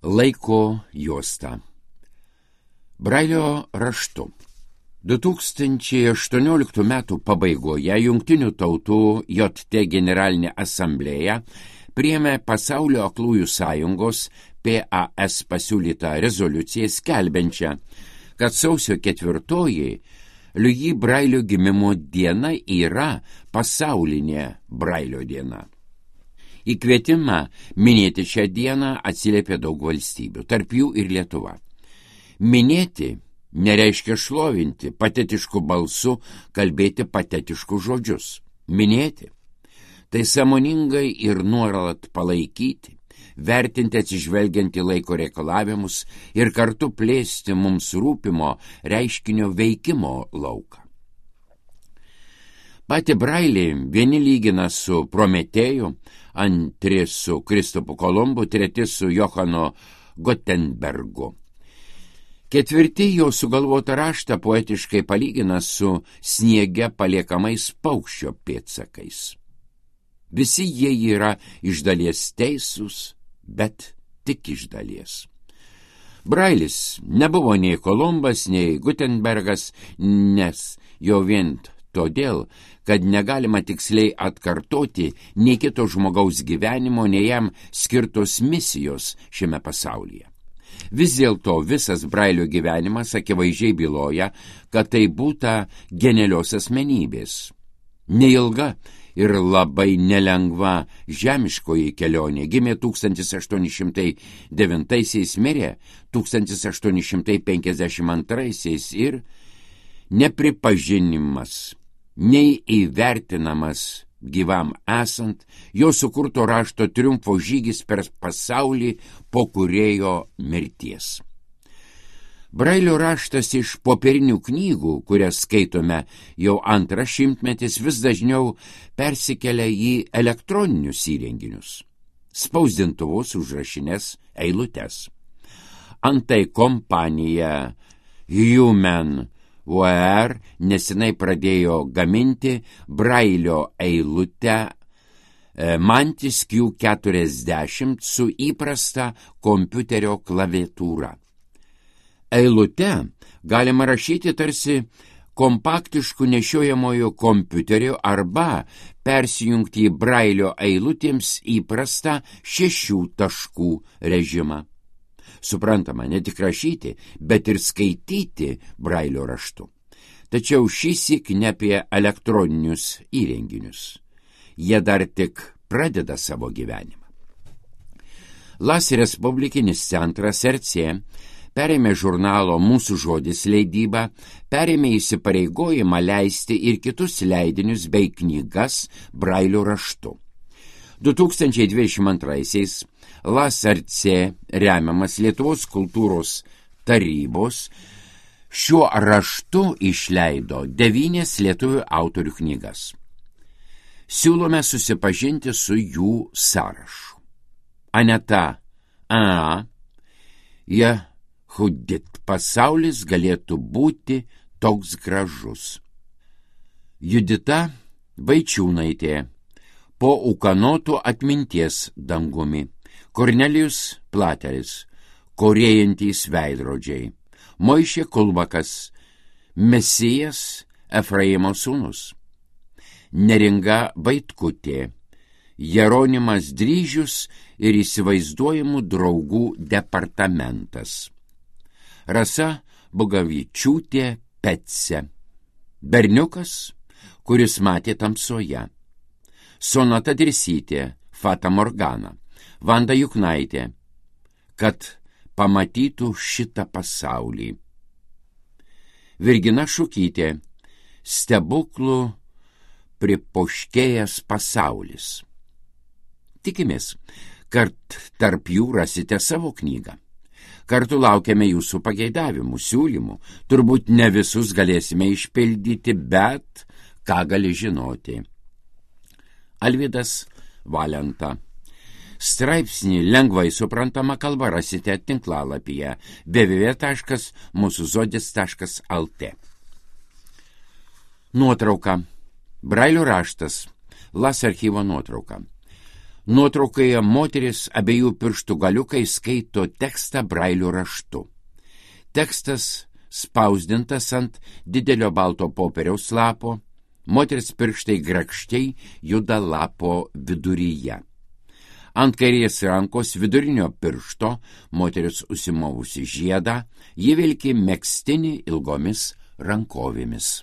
Laiko juosta. Brailio raštu. 2018 metų pabaigoje Jungtinių tautų JT Generalinė asamblėja priėmė Pasaulio aklųjų sąjungos PAS pasiūlytą rezoliuciją skelbiančią, kad sausio 4 Louis Brailio gimimo diena yra pasaulinė Brailio diena. Į kvietimą minėti šią dieną atsiliepė daug valstybių, tarp jų ir Lietuva. Minėti nereiškia šlovinti, patetišku balsu kalbėti patetiškus žodžius. Minėti – tai sąmoningai ir nuolat palaikyti, vertinti atsižvelgiant į laiko reikalavimus ir kartu plėsti mums rūpimo reiškinio veikimo lauką. Patį Brailį vieni lygina su Prometėju, antri su Kristupu Kolumbu, treti su Johanu Gutenbergu. Ketvirti jo sugalvotą raštą poetiškai palygina su sniege paliekamais paukščio pėdsakais. Visi jie yra iš dalies teisūs, bet tik iš dalies. Brailis nebuvo nei Kolumbas, nei Gutenbergas, nes jo vien todėl, kad negalima tiksliai atkartoti nei kito žmogaus gyvenimo, nei jam skirtos misijos šiame pasaulyje. Vis dėlto visas Brailio gyvenimas akivaizdžiai byloja, kad tai būta genialios asmenybės. Neilga ir labai nelengva žemiškoji kelionė. Gimė 1809, mirė 1852 ir nepripažinimas, nei įvertinamas gyvam esant, jo sukurto rašto triumfo žygis per pasaulį po kūrėjo mirties. Brailio raštas iš popierinių knygų, kurias skaitome jau antras šimtmetis, vis dažniau persikelia į elektroninius įrenginius, spausdintuvus, užrašines eilutes. Antai kompanija Human VR nesenai pradėjo gaminti Brailio eilutę Mantis Q40 su įprasta kompiuterio klaviatūra. Eilute galima rašyti tarsi kompaktišku nešiojamojo kompiuteriu arba persijungti į Brailio eilutėms įprastą 6 taškų režimą. Suprantama, ne tik rašyti, bet ir skaityti Brailio raštu. Tačiau šįsyk ne apie elektroninius įrenginius. Jie dar tik pradeda savo gyvenimą. Las Respublikinis centras RC perėmė žurnalo Mūsų žodis leidybą, perėmė įsipareigojimą leisti ir kitus leidinius bei knygas Brailio raštu. 2022 Las RC remiamas Lietuvos kultūros tarybos šiuo raštu išleido 9 lietuvių autorių knygas. Siūlome susipažinti su jų sąrašu. Aneta A. Jehudit, pasaulis galėtų būti toks gražus. Judita Vaičiūnaitė, po ūkanotų atminties dangumi. Kornelijus Plateris, korėjantys veidrodžiai. Moišė Kulbakas, Mesijas Efraimo sūnus. Neringa Vaitkutė, Jeronimas Dryžius ir įsivaizduojamų draugų departamentas. Rasa Bugavičiūtė Petse, berniukas, kuris matė tamsoje. Sonata Dirsytė, Fata Morgana. Vanda Juknaitė, kad pamatytų šitą pasaulį. Virgina Šukytė, stebuklų pripoškėjęs pasaulis. Tikimės, kad tarp jų rasite savo knygą. Kartu laukiame jūsų pageidavimų, siūlymų. Turbūt ne visus galėsime išpildyti, bet ką gali žinoti. Alvydas Valenta. Straipsnį lengvai suprantama kalba rasite tinklalapyje www.musuzodis.lt. Nuotrauka. Brailio raštas. Las archyvo nuotrauka. Nuotraukoje moteris abiejų pirštų galiukai skaito tekstą brailio raštu. Tekstas spausdintas ant didelio balto popieriaus lapo, moters pirštai grakščiai juda lapo viduryje. Ant kairės rankos vidurinio piršto moteris užsimovusi žiedą, ji vilki megztinį ilgomis rankovėmis.